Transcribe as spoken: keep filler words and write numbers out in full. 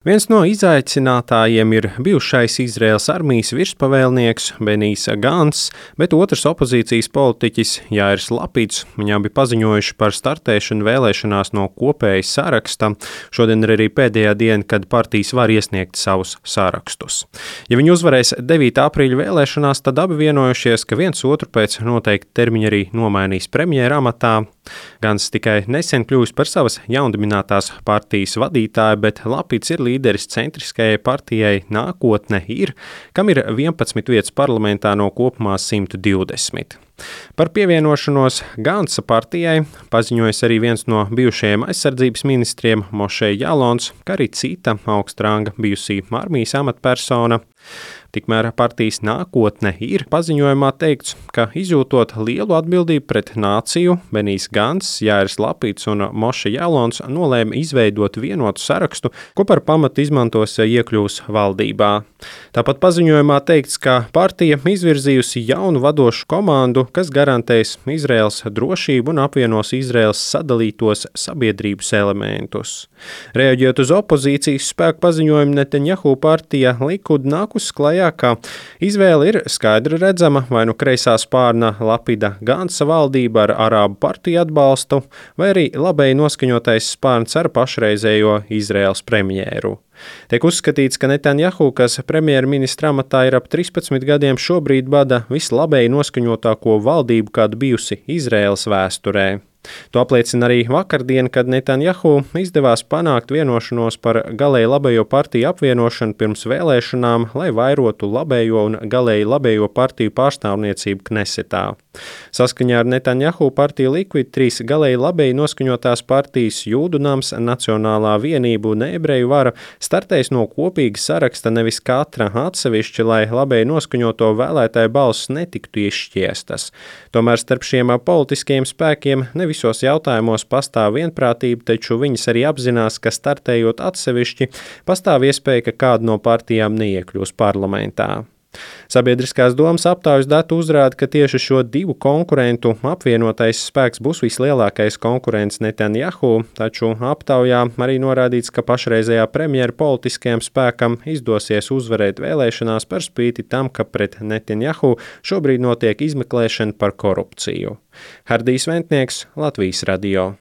Viens no izaicinātājiem ir bijušais Izraēlas armijas virspavēlnieks Benijs Gants, bet otrs opozīcijas politiķis Jāirs Lapīds. Viņi abi paziņojuši par startēšanu vēlēšanās no kopēja saraksta. Šodien ir arī pēdējā diena, kad partijas var iesniegt savus sarakstus. Ja viņi uzvarēs devītā aprīļa vēlēšanās, tad abi vienojušies, ka viens otru pēc noteikta termiņa arī nomainīs premjera amatā. Gants tikai nesen kļuvis par savas jaundibinātās partijas vadītāju, bet Lapīds ir līderis centriskajai partijai Nākotne ir, kam ir vienpadsmit vietas parlamentā no kopumā simt divdesmit. Par pievienošanos Gantsa partijai paziņojas arī viens no bijušajiem aizsardzības ministriem Mošē Jalons, kā arī cita augsta ranga bijusī armijas amatpersona. Tikmēr partijas Nākotne ir paziņojumā teikts, ka izjūtot lielu atbildību pret nāciju, Benijs Gants, Jāirs Lapīds un Mošē Jalons nolēma izveidot vienotu sarakstu, ko par pamatu izmantos iekļūs valdībā. Tāpat paziņojumā teikts, ka partija izvirzījusi jaunu vadošu komandu, kas garantēs Izraēlas drošību un apvienos Izraēlas sadalītos sabiedrības elementus. Reaģējot uz opozīcijas spēku paziņojumu, Netanjahu partija Likud nākus klajā, ka izvēle ir skaidri redzama, vai nu kreisā spārna Lapida Gantsa valdība ar arābu partiju atbalstu, vai arī labēji noskaņotais spārns ar pašreizējo Izraēlas premjēru. Tiek uzskatīts, ka Netanjahu, kas premjerministra amatā ir ap trīspadsmit gadiem, šobrīd bada vislabēji noskaņotāko valdību, kāda bijusi Izraēlas vēsturē. To apliecina arī vakardien, kad Netanjahu izdevās panākt vienošanos par galēji labējo partiju apvienošanu pirms vēlēšanām, lai vairotu labējo un galēji labējo partiju pārstāvniecību Knesetā. Saskaņā ar Netanjahu partiju Likud trīs galēji labēji noskaņotās partijas Jūdu nams, Nacionālā vienība un ebreju vara startēs no kopīga saraksta, nevis katra atsevišķi, lai labēji noskaņoto vēlētāju balss netiktu izšķiestas. Tomēr starp šiem politiskajiem spēkiem ne visos jautājumos pastāv vienprātība, taču viņas arī apzinās, ka startējot atsevišķi, pastāv iespēja, ka kāda no partijām neiekļūs parlamentā. Sabiedriskās domas aptaujas dati uzrāda, ka tieši šo divu konkurentu apvienotais spēks būs vislielākais konkurents Netanjahu, taču aptaujā arī norādīts, ka pašreizējā premjera politiskajam spēkam izdosies uzvarēt vēlēšanās par spīti tam, ka pret Netanjahu šobrīd notiek izmeklēšana par korupciju. Hardijs Ventnieks, Latvijas radio.